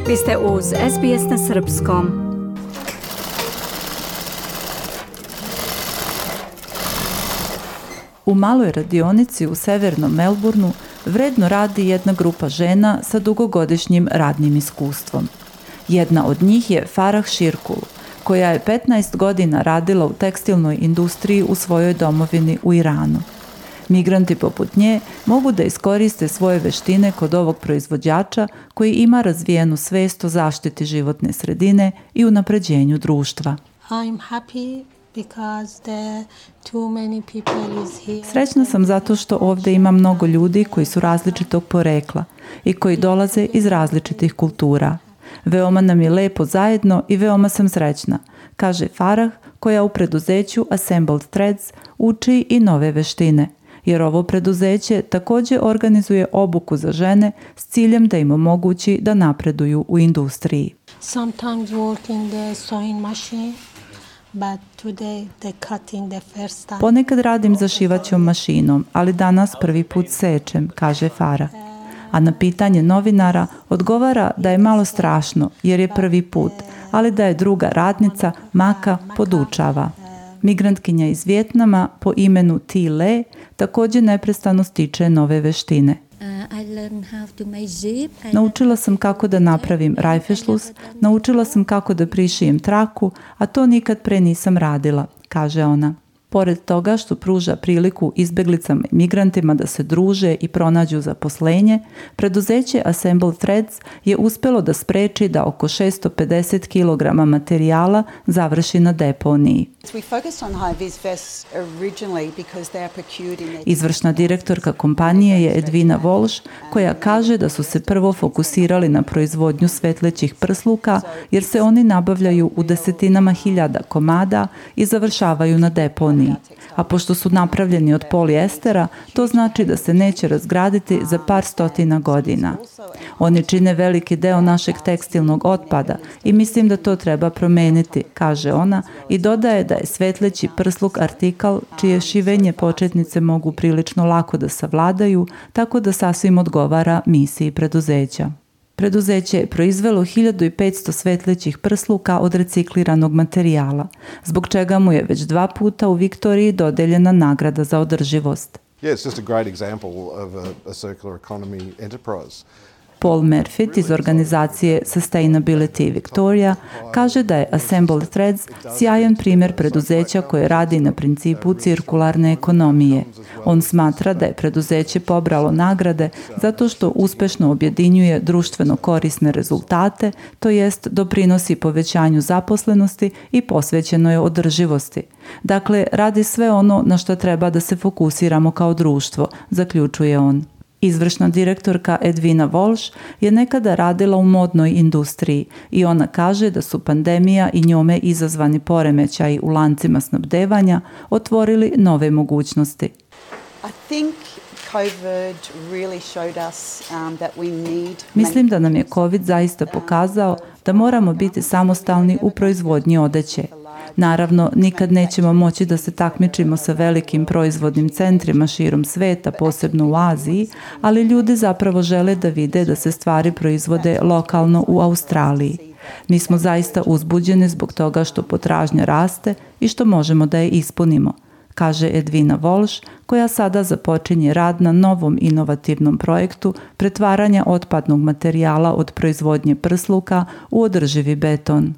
Vi ste uz SBS na srpskom. U maloj radionici u severnom Melbourneu vredno radi jedna grupa žena sa dugogodišnjim radnim iskustvom. Jedna od njih je Farah Shirkul, koja je 15 godina radila u tekstilnoj industriji u svojoj domovini u Iranu. Migranti poput nje mogu da iskoriste svoje veštine kod ovog proizvođača koji ima razvijenu svest o zaštiti životne sredine i unapređenju društva. Srećna sam zato što ovdje ima mnogo ljudi koji su različitog porekla i koji dolaze iz različitih kultura. Veoma nam je lepo zajedno i veoma sam srećna, kaže Farah, koja u preduzeću Assembled Threads uči i nove veštine, jer ovo preduzeće također organizuje obuku za žene s ciljem da im omogući da napreduju u industriji. Ponekad radim za šivaćom mašinom, ali danas prvi put sečem, kaže Farah. A na pitanje novinara odgovara da je malo strašno jer je prvi put, ali da je druga radnica, Maka, podučava. Migrantkinja iz Vijetnama po imenu Thi Le također neprestano stiče nove veštine. Naučila sam kako da napravim rajfešlus, naučila sam kako da prišijem traku, a to nikad pre nisam radila, kaže ona. Pored toga što pruža priliku izbeglicama i migrantima da se druže i pronađu zaposlenje, preduzeće Assembled Threads je uspjelo da spreči da oko 650 kg materijala završi na deponiji. Izvršna direktorka kompanije je Edwina Walsh, koja kaže da su se prvo fokusirali na proizvodnju svetlećih prsluka jer se oni nabavljaju u desetinama hiljada komada i završavaju na deponiji. A pošto su napravljeni od polijestera, to znači da se neće razgraditi za par stotina godina. Oni čine veliki deo našeg tekstilnog otpada i mislim da to treba promeniti, kaže ona i dodaje da je svetleći prsluk artikal čije šivenje početnice mogu prilično lako da savladaju, tako da sasvim odgovara misiji preduzeća. Preduzeće je proizvelo 1500 svetlećih prsluka od recikliranog materijala, zbog čega mu je već 2 puta u Viktoriji dodeljena nagrada za održivost. Paul Murphy iz organizacije Sustainability Victoria kaže da je Assembled Threads sjajan primjer preduzeća koje radi na principu cirkularne ekonomije. On smatra da je preduzeće pobralo nagrade zato što uspešno objedinjuje društveno korisne rezultate, to jest doprinosi povećanju zaposlenosti i posvećeno je održivosti. Dakle, radi sve ono na što treba da se fokusiramo kao društvo, zaključuje on. Izvršna direktorka Edwina Walsh je nekada radila u modnoj industriji i ona kaže da su pandemija i njome izazvani poremećaji u lancima snabdevanja otvorili nove mogućnosti. Mislim da nam je COVID zaista pokazao da moramo biti samostalni u proizvodnji odeće. Naravno, nikad nećemo moći da se takmičimo sa velikim proizvodnim centrima širom sveta, posebno u Aziji, ali ljudi zapravo žele da vide da se stvari proizvode lokalno u Australiji. Mi smo zaista uzbuđeni zbog toga što potražnja raste i što možemo da je ispunimo, kaže Edwina Walsh, koja sada započinje rad na novom inovativnom projektu pretvaranja otpadnog materijala od proizvodnje prsluka u održivi beton.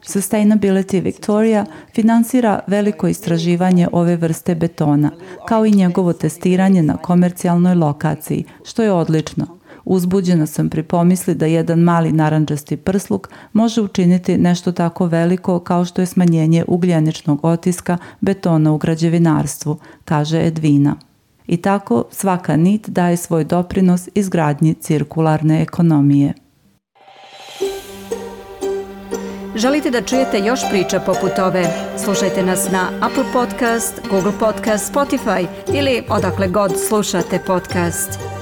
Sustainability Victoria finansira veliko istraživanje ove vrste betona, kao i njegovo testiranje na komercijalnoj lokaciji, što je odlično. Uzbuđena sam pri pomisli da jedan mali narandžasti prsluk može učiniti nešto tako veliko kao što je smanjenje ugljeničnog otiska betona u građevinarstvu, kaže Edwina. I tako svaka nit daje svoj doprinos izgradnji cirkularne ekonomije. Želite da čujete još priča poput ove? Slušajte nas na Apple Podcast, Google Podcast, Spotify ili odakle god slušate podcast.